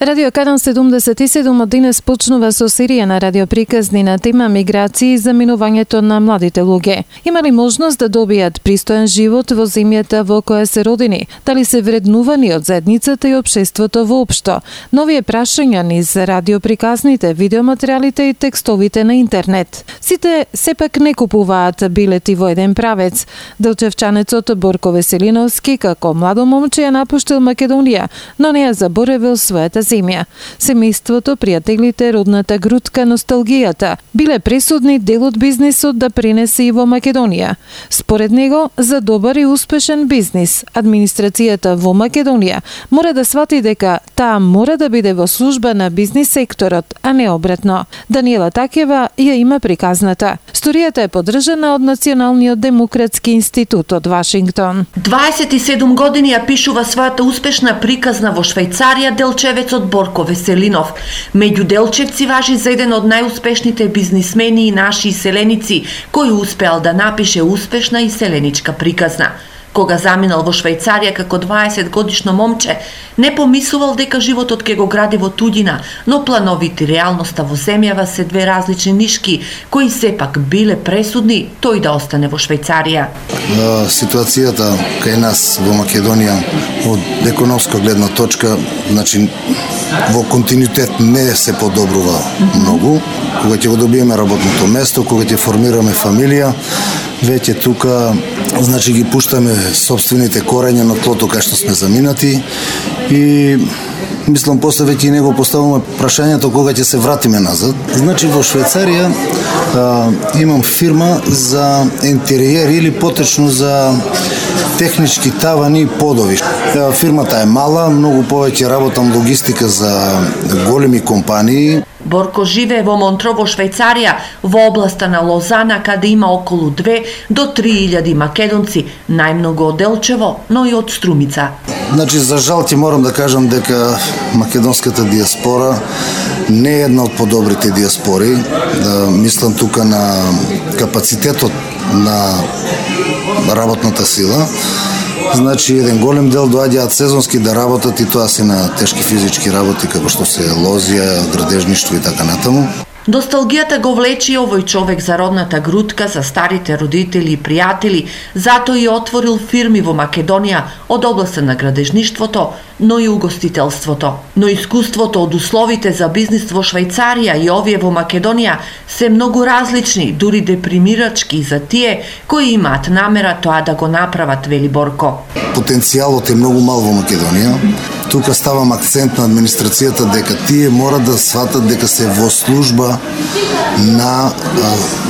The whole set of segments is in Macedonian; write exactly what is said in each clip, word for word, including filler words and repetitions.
Радио Канал седумдесет и седум од денес почнува со серија на радиоприказни на тема миграции и заминувањето на младите луѓе. Има ли можност да добијат пристоен живот во земјата во која се родени? Дали се вреднувани од заедницата и општеството воопшто? Нови прашања низ радиоприказните, видеоматеријалите и текстовите на интернет. Сите сепак не купуваат билети во еден правец. Делчевчанецот Борко Веселиновски како младо момче ја напуштил Македонија, но не ја заборавил својата земја. Семејството, пријателите, родната грудка, носталгијата биле пресудни дел од бизнисот да пренесе и во Македонија. Според него, за добар и успешен бизнис, администрацијата во Македонија мора да свати дека таа мора да биде во служба на бизнис секторот, а не обратно. Даниела Такева ја има приказната. Сторијата е поддржана од Националниот демократски институт од Вашингтон. дваесет и седум години ја пишува својата успешна приказна во Швајцарија делчевецот Борко Веселинов. Меѓу делчевци важи за еден од најуспешните бизнисмени и наши иселеници, кој успеал да напише успешна иселеничка приказна. Кога заминал во Швајцарија како дваесет годишно момче, не помислувал дека животот ќе го гради во туѓина, но плановите реалноста во земјава се две различни нишки, кои сепак биле пресудни тој да остане во Швајцарија. Ситуацијата кај нас во Македонија од економска гледна точка, значи во континуитет не се подобрува многу. Кога ќе го добиеме работното место, кога ќе формираме фамилија, веќе тука значи ги пуштаме собствените корења на тлото кај што сме заминати и мислам после веќе и него поставуваме прашањето кога ќе се вратиме назад. Значи во Швајцарија а, имам фирма за интериер или поточно за технички тавани и подови. Фирмата е мала, многу повеќе работам логистика за големи компании. Борко живее во Монтро во Швајцарија, во областа на Лозана, каде има околу две до три илјади македонци, најмногу од Делчево, но и од Струмица. Значи, за жал ти морам да кажам дека македонската диаспора не е една од подобрите диаспори. Да, мислам тука на капацитетот на работната сила. Значи, еден голем дел доаѓаат сезонски да работат и тоа се на тешки физички работи, како што се лозија, градежништво и така натаму. Носталгијата го влечи овој човек за родната грудка, за старите родители и пријатели, затоа и отворил фирми во Македонија од областа на градежништвото, но и угостителството. Но искуството од условите за бизнис во Швајцарија и овие во Македонија се многу различни, дури депримирачки за тие кои имаат намера тоа да го направат, вели Борко. Потенцијалот е многу мал во Македонија. Тука ставам акцент на администрацијата дека тие мора да сватат дека се во служба на а,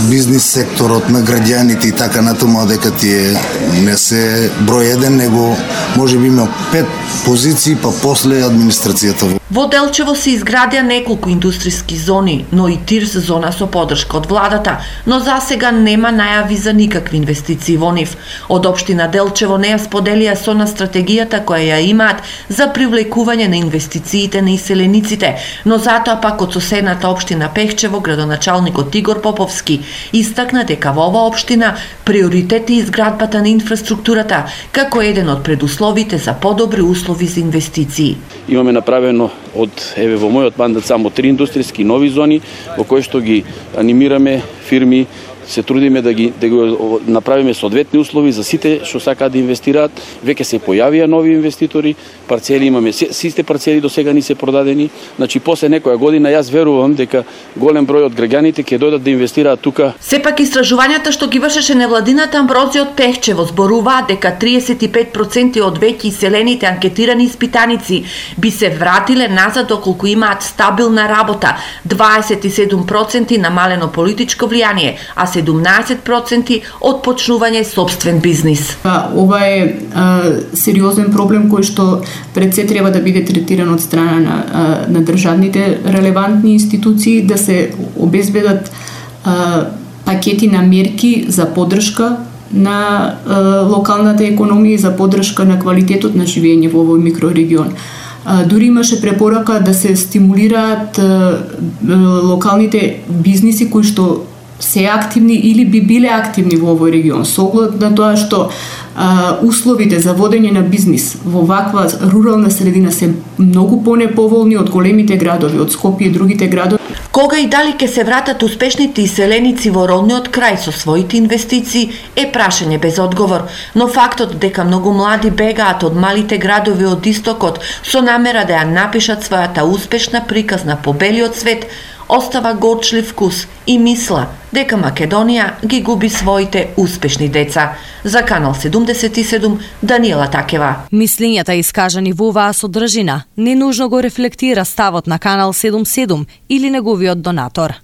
бизнис секторот, на граѓаните и така натаму, дека тие не се број еден, него може би има пет позиции, па после администрацијата. Во Делчево се изградија неколку индустријски зони, но и ТИРС зона со поддршка од владата, но засега нема најави за никакви инвестиции во нив. Од општина Делчево не ја споделија со на стратегијата која ја имаат за привлекување на инвестициите на иселениците, но затоа пак од соседната општина Пехчево, градоначалникот Игор Поповски истакна дека во оваа општина приоритет е изградбата на инфраструктурата како еден од предусловите за подобри услови за инвестиции. Имаме направено од еве во мојот мандат само три индустријски нови зони во кои што ги анимираме фирми, се трудиме да ги да го направиме соодветни услови за сите што сакаат да инвестираат. Веќе се појавија нови инвеститори, парцели имаме, сите парцели до сега ни се продадени. Значи после некоја година јас верувам дека голем број од граѓаните ќе дојдат да инвестираат тука. Сепак истражувањата што ги вршеше невладината Амброзија од Пехчево зборуваат дека триесет и пет проценти од веќе иселените анкетирани испитаници би се вратиле назад доколку имаат стабилна работа, дваесет и седум проценти намалено политичко влијание, а седумнаесет проценти од почнување собствен бизнис. Ова е а, сериозен проблем кој што пред се треба да биде третиран од страна на, а, на државните релевантни институции, да се обезбедат а, пакети на мерки за поддршка на а, локалната економија, за поддршка на квалитетот на живење во овој микрорегион. А, дури имаше препорака да се стимулираат а, а, локалните бизниси кои што се активни или би биле активни во овој регион, со оглед на тоа што а, условите за водење на бизнис во ваква рурална средина се многу понеповолни од големите градови, од Скопје и другите градови. Кога и дали ќе се вратат успешните иселеници во родниот крај со своите инвестиции е прашање без одговор, но фактот дека многу млади бегаат од малите градови од истокот со намера да ја напишат својата успешна приказна по белиот свет остава горчлив вкус и мисла дека Македонија ги губи своите успешни деца. За Канал седумдесет и седум, Даниела Такева. Мислењата искажани во оваа содржина не нужно го рефлектира ставот на Канал седумдесет и седум или неговиот донатор.